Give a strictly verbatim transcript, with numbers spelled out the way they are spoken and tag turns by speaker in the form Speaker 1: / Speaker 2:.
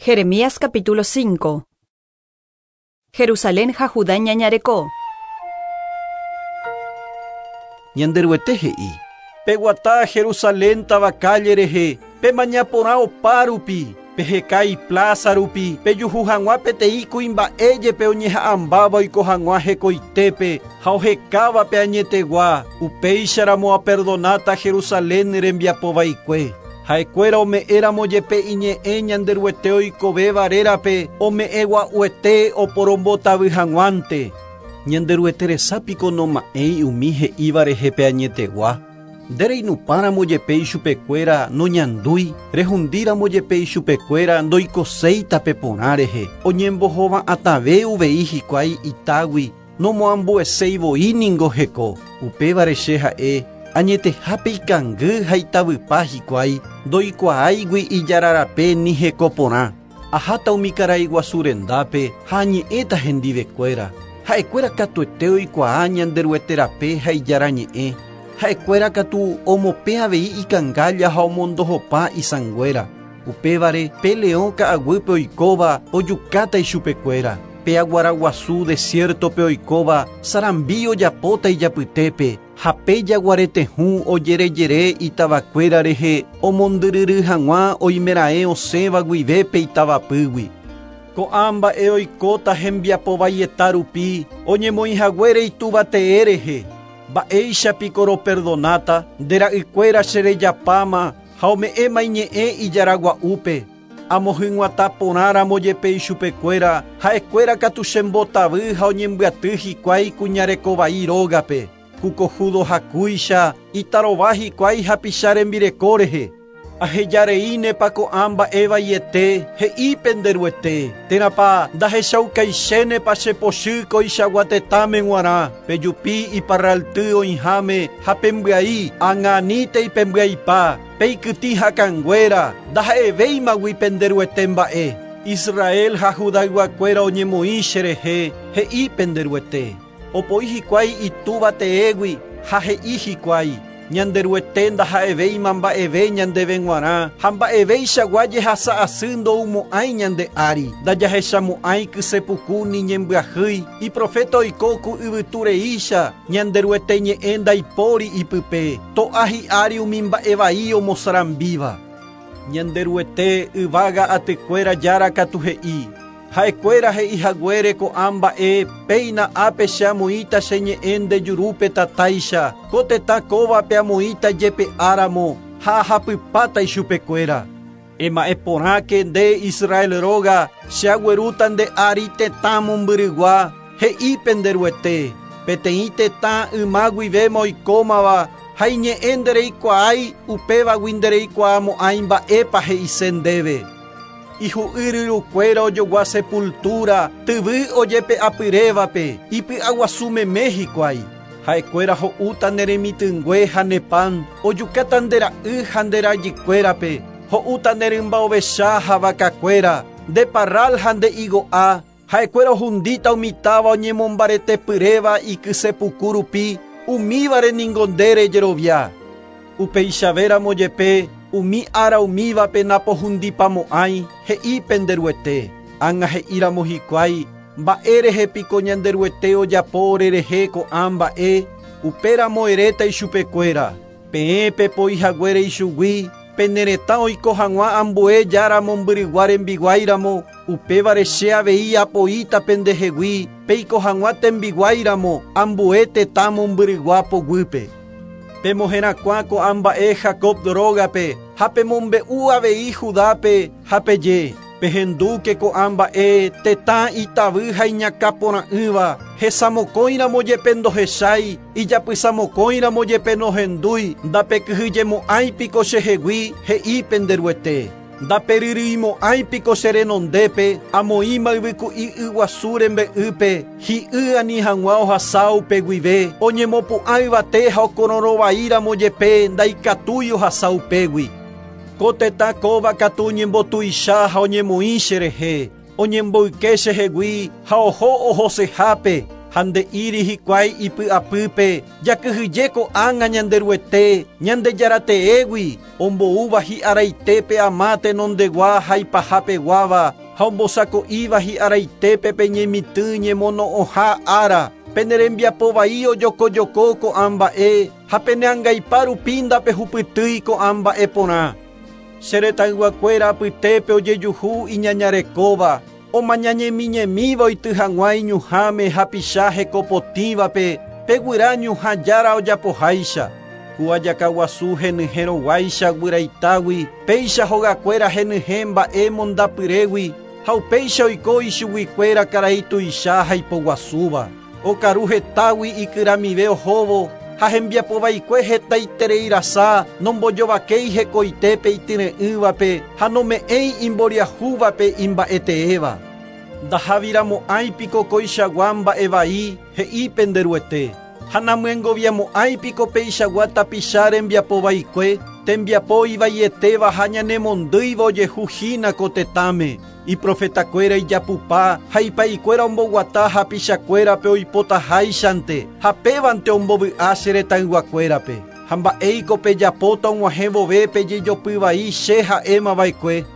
Speaker 1: Jeremías capítulo cinco. Jerusalén ha Judá ñañareko.
Speaker 2: Ñanderuete he'i. Peguata Jerusalén táva calle rehe, pemaña porã opa rupi, peheka iplaza rupi, pejuhu hag̃ua peteĩ kuimba'e jepe oñeha'ãmbáva oiko hag̃ua hekoitépe ha ohekáva pe añetegua, upéicharamo aperdonáta Jerusalén rembiapo vaikue. Ha'ekuéra ome'ẽramo jepe iñe'ẽ Ñanderuete oikovéva rérape, ome'ẽgua'uete oporombotavy hag̃uánte. Ñanderuete resapiko noma'ẽi umi he'íva rehe pe añetegua. Ndereinupãramo jepe ichupekuéra noñandúi, rehundíramo jepe ichupekuéra ndoikoséi tape porã rehe, oñembohova'atãve uvei hikuái itágui, nomoambueséi voi ningo heko. Upévare che ha'e añetehápe ikangy ha itavypa hikuái, ndoikuaáigui ijararape ni heko porã. Aháta umi karai guasu rendápe ha añe'ẽta hendivekuéra. Ha'ekuéra katuete oikuaa Ñanderuete rape ha ijarañe'ẽ. Ha'ekuéra katu omopẽ avei ikangálla ha omondohopa isãnguéra. Upévare pe leõ ka'aguýpe oikóva ojukáta ichupekuéra. Pe aguaraguasu desiertope oikóva sarambi ojapóta ijapytépe ha pe jaguaretehũ ojerejere itavakuéra rehe omondyryry hag̃ua oimeraẽ osẽva guivépe itavapýgui. Ko'ã mba'e oikóta hembiapo vaieta rupi oñemoĩhaguére ituvatee rehe. Mba'éichapiko roperdonáta nde ra'ykuéra cherejapáma ha ome'ẽma iñe'ẽ ijaragua'úpe. Amohyg̃uatã porãramo jepe ichupekuéra, ha'ekuéra katu chembotavy ha oñembyaty hikuái kuñarekovai rógape. Kukojudo hakúicha itarova hikuái hapicha rembireko rehe. Ahejareínepa ko'ã mba'e vaiete he'i penderuete, térãpa ndahechaukaichénepa chepochy koichagua tetãme g̃uarã, pejupi iparralty oĩháme ha pembyai, ág̃a pembyaipa, peikytĩ hakãnguéra, ndaha'evéimagui penderuete mba'e. Israel ha Judayguakuéra oñemoĩ cherehe, he'i penderuete. Opoi hikuái itúva teégui ha he'i hikuái. Ñanderuete ndaha'evéima mba'eve ñandéve g̃uarã ha mba'evéichagua jehasa'asy ndoumo'ãi ñande ári, ndajahechamo'ãi kysepuku ni ñembyahýi, iprofeta oiko ku yvytureícha, Ñanderuete ñe'ẽ ndaipóri ipype, to'a hi'ári umi mba'e vai omosarambíva. Ñanderuete yvága atykuéra jára katu he'i. Ha'ekuéra he'ihaguére ko'ã mba'e péina ápe che amoĩta che ñe'ẽ nde jurúpe tatáicha, ko tetã kóvape amoĩta jepe'áramo ha ahapypáta ichupekuéra. Ema'ẽ porãke nde Israel róga, che aguerúta nde ári tetã mombyrygua, he'i penderuete, peteĩ tetã yma guivéma oikómava ha iñe'ẽ ndereikuaái upévagui ndereikuaamo'ãi mba'épa he'ise ndéve. Ihu'yryrukuéra ojogua sepultura, tyvy ojepe'apyrévape, ipy'aguasumeme hikuái. Ha'ekuéra ho'úta ne remitỹngue ha ne pan, ojukáta nde ra'y ha nde rajykuérape, ho'úta ne rymba ovecha ha vakakuéra, nde parral ha nde higo'a, ha'ekuéra ohundíta umi táva oñemombaretepyréva ikysepuku rupi, umívare ningo nde rejerovia. Upeichavéramo jepe, umi ára umívape napohundipamo'ãi, he'i penderuete. Ág̃a he'íramo hikuái, mba'e rehe piko Ñanderuete ojapo orerehe ko'ã mba'e, upéramo eréta ichupekuéra. Peẽ pepoihaguére ichugui, pene retã oiko hag̃ua ambue jára mombyrygua rembiguáiramo, upévare che avei apoíta pendehegui, peiko hag̃ua tembiguáiramo ambue tetã mombyrygua poguýpe. Pemoherakuã ko'ã mba'e Jacob rógape ha pemombe'u avei Judápe ha peje. Pehendúke ko'ã mba'e tetã itavy ha iñakãporã'ỹva, hesamokõiramo jepe ndohechái, ijapysamokõiramo jepe nohendúi, ndapekyhyjemo'ãi piko chehegui, he'i penderuete. Ndaperyrýimo'ãi piko che renondépe, amoĩma yvyku'i yguasu rembe'ýpe, hi'y ani hag̃ua ohasa upe guive, oñemopu'ã yvate ha okororõvaíramo jepe ndaikatúi ohasa upégui. Ko tetã kóva katu oñembotuicha ha oñemoĩ cherehe, oñemboyke chehegui ha oho ohosehápe, Ha nde'íri hikuái ipy'apýpe jakyhyje ko'ág̃a Ñanderuete Ñandejarateégui omboúva hi'araitépe ama tenondegua ha ipahapeguáva ha ombosako'íva hi'araitépe pe ñemitỹ ñemono'õha ára pene rembiapo vai ojokojoko ko'ã mba'e ha pene angaipa rupi ndapehupytýi ko'ã mba'e porã. Che retãyguakuéra apytépe ojejuhu iñañarekóva omañañemiñemíva oity hag̃ua iñuhãme hapicha hekopotĩvape pe guyra ñuhãjára ojapoháicha. Ku ajakaguasu henyhẽroguáicha guyraitágui péicha hogakuéra henyhẽ mba'e mondapyrégui ha upéicha oiko ichuguikuéra karai tuicha ha ipoguasúva. Okaru hetágui ikyramive ohóvo ha hembiapovaikue hetaitereirasa nombojovakéi hekoitépe ityre'ỹvape ha nome'ẽi imboriahúvape imba'eteéva. Ndahaviramo'ãipiko koichagua mba'evai he'i penderuete. Ha namyengoviamo'ãipiko peichagua tapicha rembiapovaikue tembiapo ivaietéva ha ñanemondýiva ojehu hína ko tetãme. Iprofetakuéra ijapupa ha ipaikuéra omboguata hapichakuérape oipotaháichante ha pévante ombovy'a che retãyguakuérape. Ha mba'éiko pejapóta og̃uahẽ vove pejejopyvai che ha'émava'ekue.